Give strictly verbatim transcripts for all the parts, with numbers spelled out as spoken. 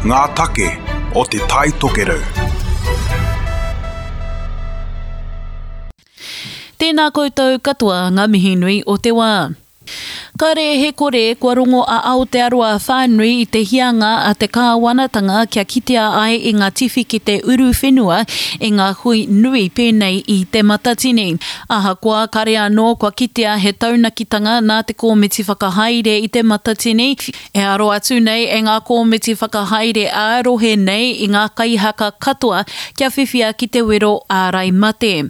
Ngā take o Te Tai Tokerau. Tēnā koutou katoa ngā mihi nui o te wā. Kare he kore kua rongo a Aotearoa whānui i te hianga a te kāwanatanga kia kitea ai i ngā tiwhikete uruwhenua i ngā hui nui pēnei i Te Matatini. Ahakoa kare anō kua kitea he taunakitanga nā te kōmiti whakahaere i Te Matatini, e aro atu nei e ngā kōmiti whakahaere ā-rohe nei i ngā kaihaka katoa kia whiwhia ki te wero ārai mate.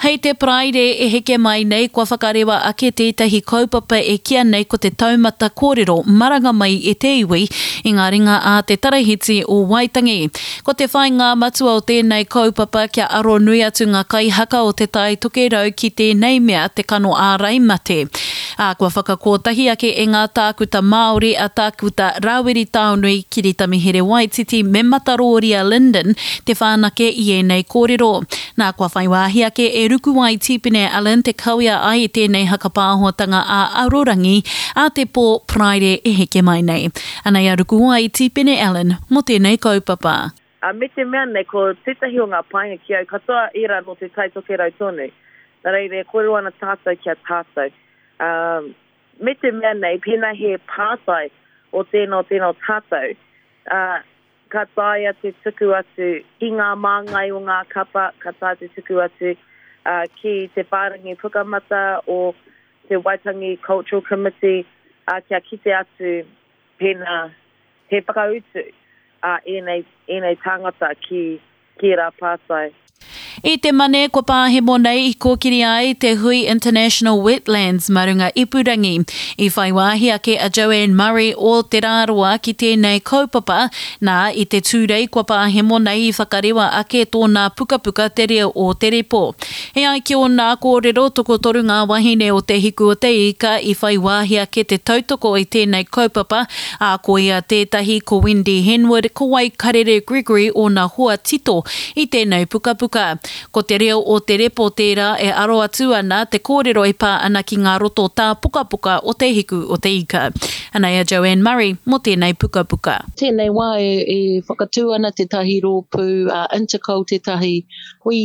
Hei te Paraire e heke mai nei kua whakarewa ake tētahi kaupapa e kīa nei ko te taumata kōrero maranga mai e te iwi i ngā ringa a te Tarahiti o Waitangi. Ko te whāinga matua o tēnei kaupapa kia aro nui atu ngā kaihaka o Te Tai Tokerau ki tēnei mea te kano ārai mate. Ā, kua whakakōtahi ake e ngā tākuta Māori a Tākuta Rāwiri Taonui, Kiritami Here-Waititi me Matarōria Lyndon te whanake i ēnei kōrero. Nā, kua whai wāhi ake e Rukuwai Tīpene Allen te kawea ai i tēnei hakapāhotanga ā-arorangi a te pō Paraire e heke mai nei. Anei a Rukuwai Tīpene Allen mō tēnei kaupapa. Ā, me te mea nei, ko tētahi o ngā painga ki au, katoa ērā nō Te Tai Tokerau tonu. Nā reira, e kōrero ana tātou ki a tātou. Ā, me te mea nei, pēnā he pātai o tēnā o tēnā o tātou, ā, ka taea te tuku atu ki ngā māngai o ngā kapa, ka taea te tuku atu ā, ki te whārangi pukamata o te Waitangi Cultural Committee, ā, kia kite atu pēnā he whakautu a ēnei, ēnei tāngata ki, ki ērā pātai. I te Mane kua pāhemo nei i kōkiri ai te hui International Wetlands mā runga ipurangi. I whai wāhi ake a Joanne Murray o Te Rāroa ki tēnei kaupapa, nā, i te Tūrei kua pāhemo nei i whakarewa ake tōna pukapuka Te Reo o Te Repo. E ai ki ōna kōrero, tokotoru ngā wahine o Te Hiku o Te Ika i whai wāhi ake te tautoko i tēnei kaupapa, ā, ko ia tētahi, ko Wendy Henwood, ko Waikarere Gregory ōna hoa tito i tēnei pukapuka. Ko Te Reo o Te Repo tērā e aro atu ana te kōrero e pā ana ki ngā roto tāpokapoka o Te Hiku o Te Ika. Anei a Joanne Murray mō tēnei pukapuka. Tēnei wā e, e whakatū ana tētahi rōpū uh, Intercol, tētahi hui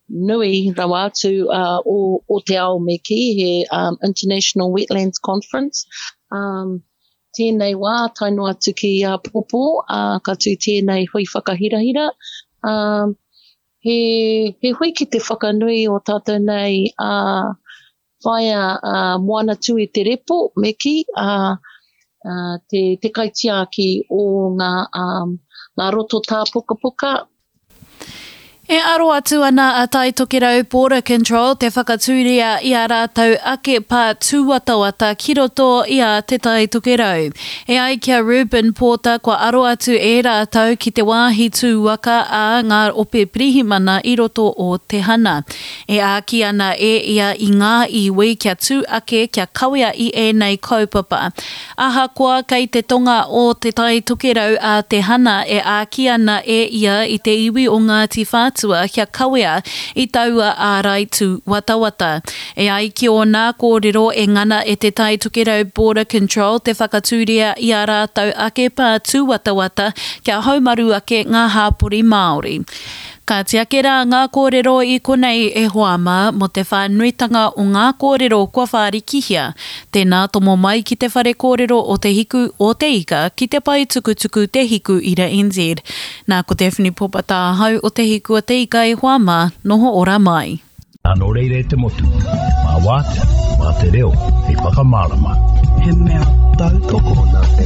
nui rawa atu uh, o, o te ao me kī, he um, International Wetlands Conference. Um, tēnei wā, tae noa atu ki āpōpō, uh, ka tū tēnei hui whakahirahira. Um, he, he hui ki te whakanui o tātou nei uh, whaea uh, Moana Tū i te Repo, me kī, uh, uh, te, te kaitiaki o ngā, um, ngā roto tāpokapoka. E aro atu ana a Tai Tokerau Border Control te whakatūria i a rātou ake pā tūwatawata ki roto i a Te Tai Tokerau. E ai ki a Reuben Porter kua aro atu e rātou ki te wāhi tū waka a ngā ope pirihimana i roto o Te Hana. E āki ana e ia i ngā iwi kia tū ake kia kawea i ēnei kaupapa. Ahakoa kei te tonga o Te Tai Tokerau a Te Hana e āki ana e ia i te iwi o Ngāti Whātua kia kawea i taua ārai tūwatawata. E ai ki ōna kōrero e ngana e Te Tai Tokerau Border Control te whakatūria i a rātou ake pā tūwatawata kia haumaru ake ngā hāpori Māori. Ka tiake rā ngā kōrero i konei e hoa mā mō te whānuitanga o ngā kōrero kua whārikihia. Tēnā tomo mai ki te whare kōrero o Te Hiku o Te Ika ki te pae tukutuku Te Hiku Ira N Z. Nā ko Daphne Popata ahau o Te Hiku o Te Ika e hoa mā, noho ora mai. Nō reira e te motu, mā wātea, mā te reo, hei whakamārama. He mea tautoko. Nā te